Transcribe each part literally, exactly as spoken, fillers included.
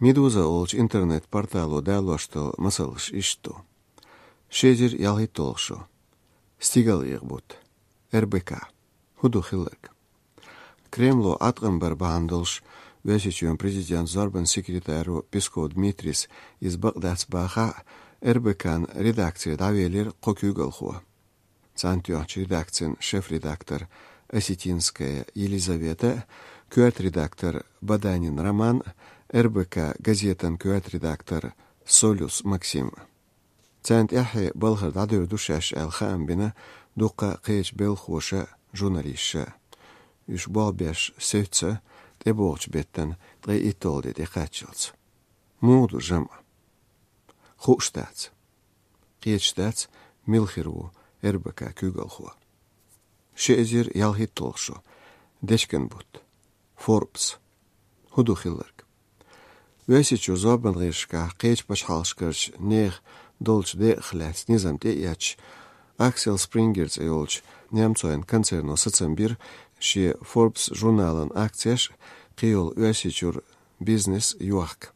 Медуза олчу интернет-портало далош долу масалш иштта ду. Ши эзар ялхитталгӀа шо. Стигалъякъа бутт. РБК. ХӀун ду хилларг? Кремло Ӏаткъам бар бахьана долуш, Оьрсийчоьнан президентан зорбанан секретаро Песков Дмитрийс иза бакъ дац бахахь а, РБК-н редакци дӀавелира кхо куьйгалхо. Царна тоьхначу редакцин шеф-редактор Осетинская Елизавета, коьрта редактор Баданин Роман, РБК газетан коьрта редактор Солюс Максим. Царна тӀаьххье балхара дӀадевр ду шаьш аьлла хаам бина дуккха кхечу белхахоша, журналисташа. Уьш болх беш севцца тӀебогӀучу беттан ткъе итталгӀа де тӀекхаччалц. Муха ду жамӀ? Хууш дац. Кхеташ дац, мила хир ву РБК куьйгалхо. Ши эзар ялхитталгӀа шо. Дечкен бутт. Forbes. ХӀун ду хилларг? Оьрсийчуьра зорбанан гӀирсашкахь кхечу пачхьалкхашкарчу нехан долчу декъах лаьцна низам тӀеэцча, Аксел Спрингер цӀе йолчу немцойн концерно сацам бира шен Forbes журналан акцеш а, кхийолу Оьрсийчуьра бизнес йохка.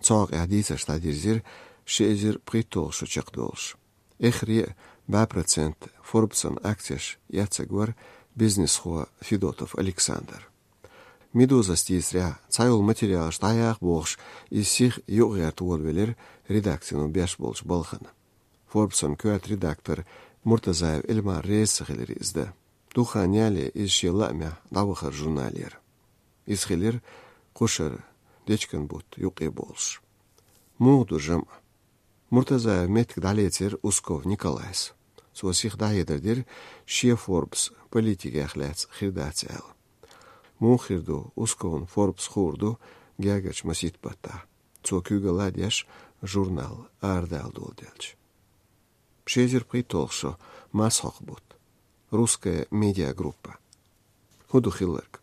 Цу хьокъехь дийцарш дӀадирзира ши эзар пхийтталгӀа шо чекхдолуш. Эххар а бӀе процент Forbes-ан акцеш эцнарг вара бизнесхо Федотов Александр. Медузас дийцарехь, цхьайолу материалаш дӀаяха бохуш, иза сиха юкъагӀерта волавелира редакцино беш болчу балхана. Forbes-ан коьрта редактор Муртазаев Эльмар реза ца хилира иза дан. Дукха хан ялале иза шен лаамехь дӀавахара журналера. Иза хилира кхушара дечкен бутт юккъе болуш. Муха ду жамӀ? Муртазаевн меттиг дӀалецира Усков Николайс. Цо сиха дӀахьедар дира, шен Forbes политикех лаьцна хир дац аьлла. Муха хир ду, Усковна Forbes хуур ду гергарчу масийтта баттахь, цо куьйгалла а деш, журнал арадала доладелча. Ши эзар пхийтталгӀа шо. Масхьокху бутт. Русская медиагруппа. ХӀун ду хилларг?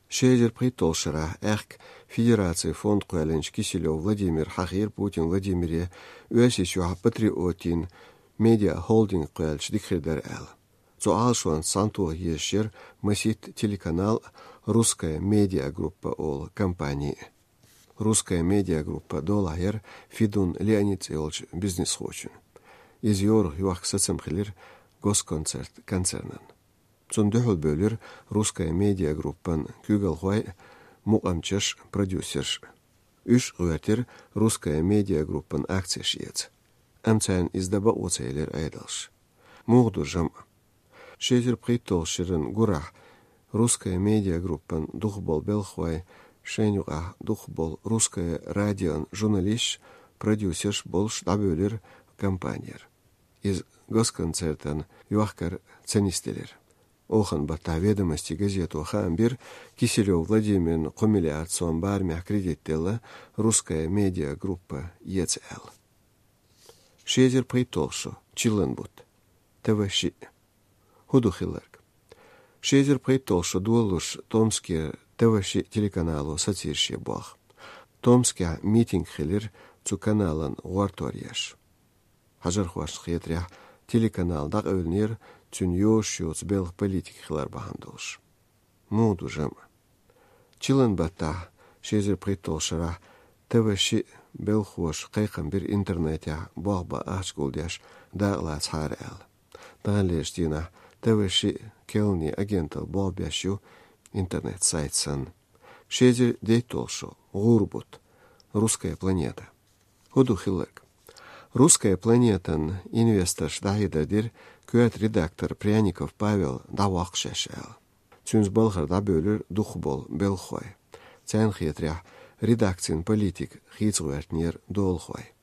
Ши эзар пхийтталгӀачу шарахь аьхка Федерацин фонд кхоьллинчу Киселёв Владимира хьахийра Путин Владимире Оьрсийчохь патриотийн медиахолдинг кхоьллича дика хир дара аьлла. Цу Ӏалашонца цхьаьнатоха езаш яра масийтта телеканал а, Русская медиагруппа олу компани а. Русская медиагруппа долахь яра Федун Леонид цӀе йолчу бизнесхочун. Иза йорах йохка сацам хилира Госконцерт концернан. Цунна дуьхьал бевлира Русская медиагруппан куьйгалхой а, мукъамчаш а, продюсерш а. Уьш а гӀоьртира Русская медиагруппан акцеш эца. Амма царна иза дан бакъо ца елира Ӏедалш. Муха ду жамӀ? Ши эзар пхийтталгӀачу шеран гурахь Русская медиагруппан дукхахболу белхахой, шайна юкъахь дукхахболу Русское радион журналисташ, продюсерш болуш дӀабевлира компанера. Иза Госконцертан йохкар ца нисделира. Оханан баттахь «Ведомости» газето хаам бира, Киселёв Владимирна кхо миллиард сом барамехь кредит делла Русская медиагруппа эца аьлла. Ши эзар пхийтталгӀа шо. Чиллан бутт. ТВ шиъ. ХӀун ду хилларг? Ши эзар пхийтталгӀа шо долалуш Томскера ТВ шиъ телеканало сацийра шен болх. Томскехь митинг хилира цу каналан гӀортор еш. Хьажархошна хетарехь, телеканал дӀакъевлинера цуьнан йозуш йоцу белхан политика хилар бахьана долуш. Муха ду жамӀ? Чиллан баттахь, ши эзар пхийтталгӀачу шарахь, ТВ шиъ белхахоша кхайкхам бира интернетехь болх бан ахча гулдеш дакъалацахьара аьлла. Таханлерчу дийнахь ТВ шиъ керланийн агенталла болх беш ю, интернет-сайт санна. Ши эзар дейтталгӀа шо. ГӀура бутт. Русская планета. ХӀун ду хилларг? Русская планетан инвесторша дӀахьедар дира, коьрта редактор Пряников Павел дӀавоккху шаьш аьлла. Цуьнца балхара дӀабевлира дукхахболу белхахой. Царна хетарехь, редакцин политика хийца гӀоьртинера долахой.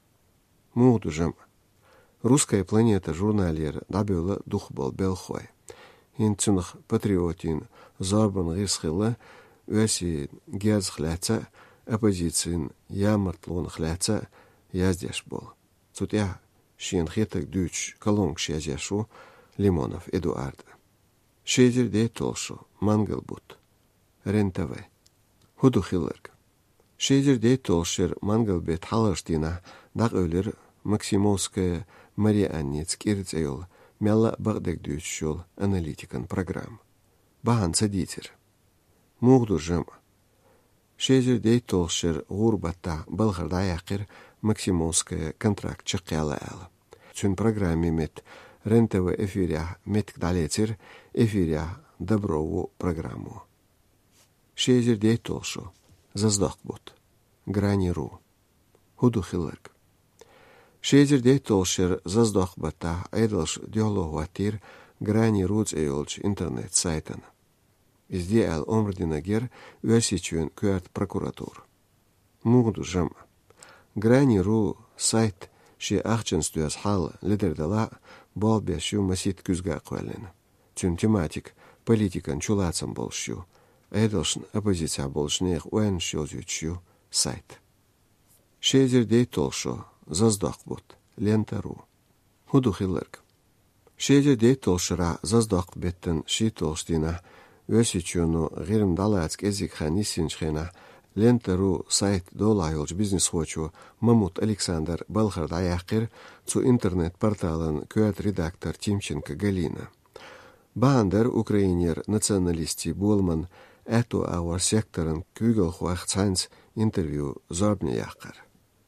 Муха ду жамӀ? «Русская планета» журналера дӀабевлла дукхахболу белхахой. ХӀинца цунах патриотийн зорбанан гӀирс хилла, оьрсийн герзах лаьцна а, оппозицин ямартлонах лаьцна а яздеш болу. Цу тӀехь шена хетарг дуьйцуш колонкаш язъеш ву Лимонов Эдуард. Ши эзар дейтталгӀа шо. Мангал бутт. РЕН-ТВ. ХӀун ду хилларг? Ши эзар дейтталгӀачу шеран мангал беттан хьалхарчу дийнахь дӀакъевлира Максимовская Мария Анница кӀира цӀе йолу, мелла а бакъдерг дуьйцуш йолу аналитикан программа. Бахьана ца дийцира. Муха ду жамӀ? Ши эзар дейтталгӀача шера гӀуран баттахь балхара дӀаяьккхира Максимовская контракт чакхъяла аьлла. Цуьнан программе метта РЕН-ТВ эфирехь меттиг дӀалецира эфирехь «Добро» программо. Ши эзар дейтталгӀача шо. Заздоккху бутт. Грани.ру. ХӀун ду хилларг? Ши эзар дейтталгӀача шера заздоккху баттахь Ӏедалша дуьхьало хӀоттийра Грани.ру цӀе йолчу интернет-сайтана. Иза де аьлла омра динарг яра Оьрсийчоьнан коьрта прокуратура. Муха ду жамӀ? Грани.ру сайт шен ахчанца доьзна хьал ледара далахь а, болх беш ю масийтта куьзга а кхоьллина. Цуьнан тематика политикан чулацам болуш ю, Ӏедалшна оппозицехь болчу нехан ойланаш йовзуьйтуш ю сайт. Ши эзар дейтталгӀача шо. Заздоккху бутт. Лента.ру. ХӀун ду хилларг? Ши эзар дейтталгӀачу шарахь заздоккху беттан шийтталгӀачу дийнахь, Оьрсийчоьно ГӀирма дӀалаца кӀеззиг хан йиссинчу хенахь, Лента.ру сайт долахь йолчу бизнесхочо Мамут Александра балхара дӀаяьккхира цу интернет-порталан коьрта редактор Тимченко Галина. Бахьана дара Украинера националистийн боламан аьтту агӀор секторан куьйгалхойх цхьаьнца интервью зорбане яккхар.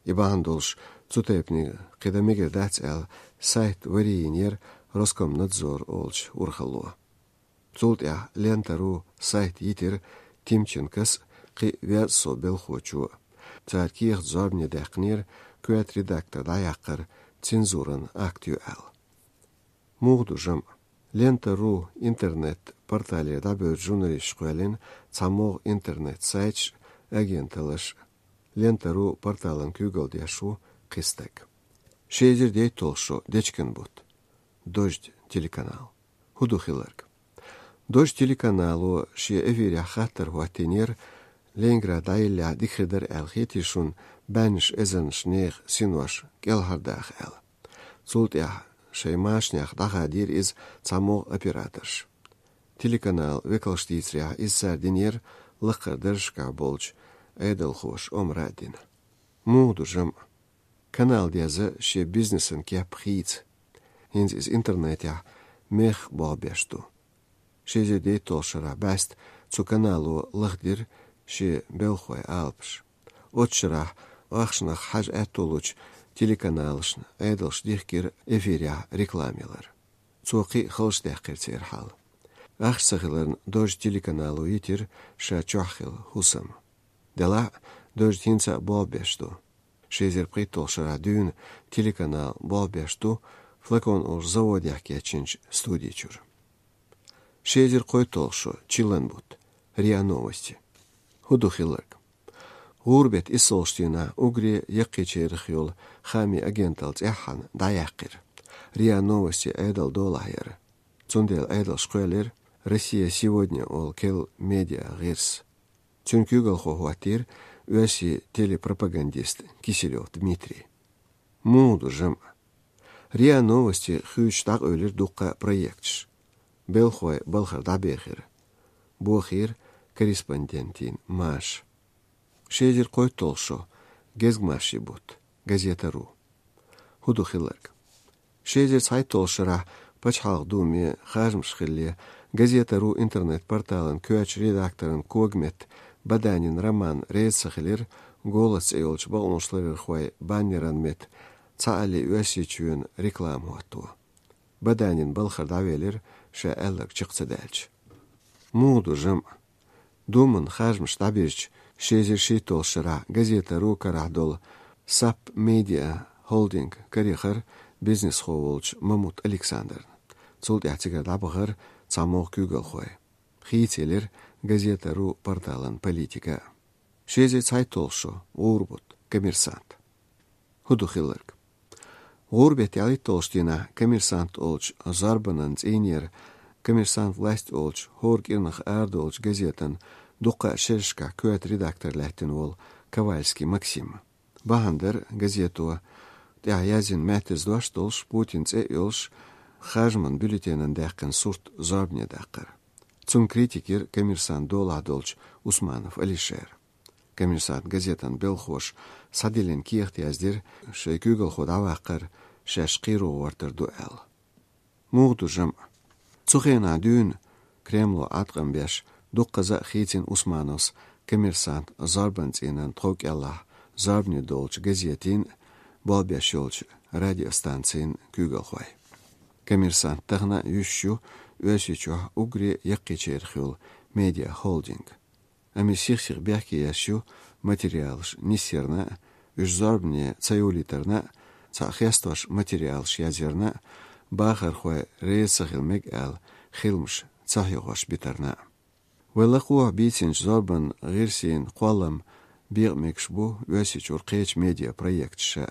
И бахьана долуш цу тайпаниг кхин дан мегар дац аьлла, сайт варе йинера Роскомнадзор олучу урхалло. Цул тӀаьхьа Лента.ру сайт йитира Тимченкос а, кхин а веза сов белхочо а. Цара кехат зорбане даьккхинера, коьрта редактор дӀаяккхар цензуран акт ю аьлла. Муха ду жамӀ? Лента.ру интернет-порталера дӀабевллачу журналисташа кхоьллина цхьа могӀа интернет-сайташ а, агенталлаш а. Лента.ру порталан куьйгалла деш ву кхин стаг. Ши эзар дейтталгӀача шо. Дечкен бутт. Дождь телеканал. ХӀун ду хилларг? Дождь телеканало шен эфирехь хаттар хӀоттийнера Ленинград дӀайиллехь дика хир дара аьлла хетий шуна баьннаш эзарнаш нехан синош кӀелхьардаха аьлла. Цул тӀаьхьа шайн машанех дӀахадийра иза цхьа могӀа операторша. Телеканал векалша дийцарехь, иза цара динера лакхара даржашкахь болчу Ӏедалхоша омра а дина. Муха ду жамӀ? Канал деза шен бизнесан кеп хийца. ХӀинца иза интернетехь мехах болх беш ду. Ши эзар дейтталгӀачу шарахь бӀаьста цу канало лахдира шен белхалойн алапаш. Оцу шарахь ахчанах хьажа аьтто лучу телеканалашна Ӏедалша дихкира эфирехь реклама ялар. Цо кхин а халчу даьккхира церан хьал. Ахча ца хиларна, Дождь телеканало йитира ша чохь хилла хӀусам. Делахь а, Дождь хӀинца а болх беш ду. Ши эзар пхийтталгӀачу шарахь дуьйна телеканал болх беш ду «Флакон» олучу заводехь кечйинчу студи чуьра. Ши эзар кхойтталгӀача шо. Чиллан бутт. РИА Новости. ХӀун ду хилларг? ГӀуран беттан иссалгӀачу дийнахь уггаре яккхийчарах йолу хаамийн агенталла цӀеххьана дӀаяьккхира. РИА Новости Ӏедалан долахь яра. Цундела Ӏедалша кхоьллира «Россия сегодня» олу керла медиа гӀирс. Цуьнан куьйгалхо хӀоттийра оьрсийн телепропагандист Киселёв Дмитрий. Муха ду жамӀ? РИА Новости хуьйцуш дӀакъевлира дуккха а проекташ. Белхалой балхара дӀабехира. Бохийра корреспондентийн маша. Ши эзар кхойтталгӀача шо. Гезгмашин бутт. Газета.ру. ХӀун ду хилларг? Ши эзар цхьайтталгӀачу шарахь Пачхьалкхан Думе харжамаш хиллале, Газета.ру интернет-порталан коьртачу редакторан когаметта Баданин Роман реза ца хилира «Голос» цӀе йолчу бакъонашларъярхойн баннеран метта цхьаалле Оьрсийчоьнан реклама хӀотто. Баданин балхара дӀавелира, ша аьлларг чекх ца даьлча. Муха ду жамӀ? Думан харжамаш дӀабирзича, ши эзар шийтталгӀачу шарахь Газета.ру карахь долу САП Медиа холдинг карайихира бизнесхо волчу Мамут Александрна. Цул тӀаьхьа цигара дӀабахара цхьа могӀа куьйгалхой. Хийцаелира Газета.ру порталан политика. Ши эзар цхьайтталгӀача шо. ГӀуран бутт. Коммерсант. ХӀун ду хилларг? ГӀуран беттан ялхитталгӀачу дийнахь «Коммерсант» олучу зорбанан цӀийнера «Коммерсант. Власть» олучу хӀора кӀирнах арадолучу газетан дуккха а шерашкахь коьрта редактор лаьттина волу Ковальский Максим. Бахьана дара газето тӀехь язйина маьттаза дош долуш, Путинан цӀе а йолуш, харжаман бюллетенан даьккхина сурт зорбане даккхар. Цунна критика йира «Коммерсант» долахь долчу Усманов Алишера. «Коммерсант» газетан белхоша схьадиллина кехат яздира, шайн куьйгалхо дӀаваккхар шаьш кхеро гӀортар ду аьлла. Муха ду жамӀ? Цу хенахь дуьйна Кремло Ӏаткъам беш, дуккхаза а хийцина Усмановс «Коммерсант» зорбан цӀийнан тхов кӀеллахь зорбане долчу газетийн а, болх беш йолчу радиостанцийн а куьйгалхой. «Коммерсант» тахана а йуьсуш ю Оьрсийчохь уггаре яккхийчарах йолу медиахолдинг. Амма сих-сиха бехке еш ю материалаш нисъярна а, уьш зорбане ца йолийтарна а, цхьаъ хестош материалаш язъярна а, бахархой реза ца хила мега аьлла, хиламаш ца хьоьхуш битарна а. Вай лакхахь бийцинчу зорбан гӀирсийн кхоллам бекъа мегаш бу Оьрсийчуьра кхечу медиапроекташа.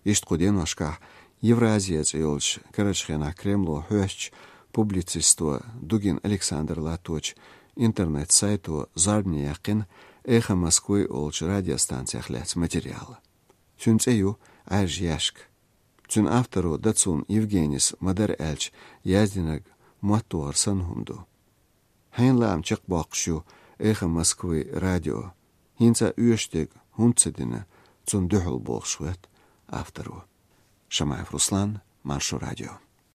Иштта кху деношкахь «Евразия» цӀе йолчу, карарчу хенахь Кремло хьоьстучу публицисто Дугин Александра латточу интернет-сайто зорбане яьккхина «Эхо Москвы» олучу радиостанцех лаьцна материал. Цуьнан цӀе ю «Ӏаьржа яьшка». Цуьнан авторо Дацун Евгенис ма-дарра аьлча яздинарг моттовгӀар санна хӀума ду. Хьенан лаам чекхбоккхуш ю «Эхо Москвы» радио? ХӀинца оьшуш дерг хӀунда ца дина цунна дуьхьал, бохуш хоьтту авторо. Шамаев Руслан, Маршо радио.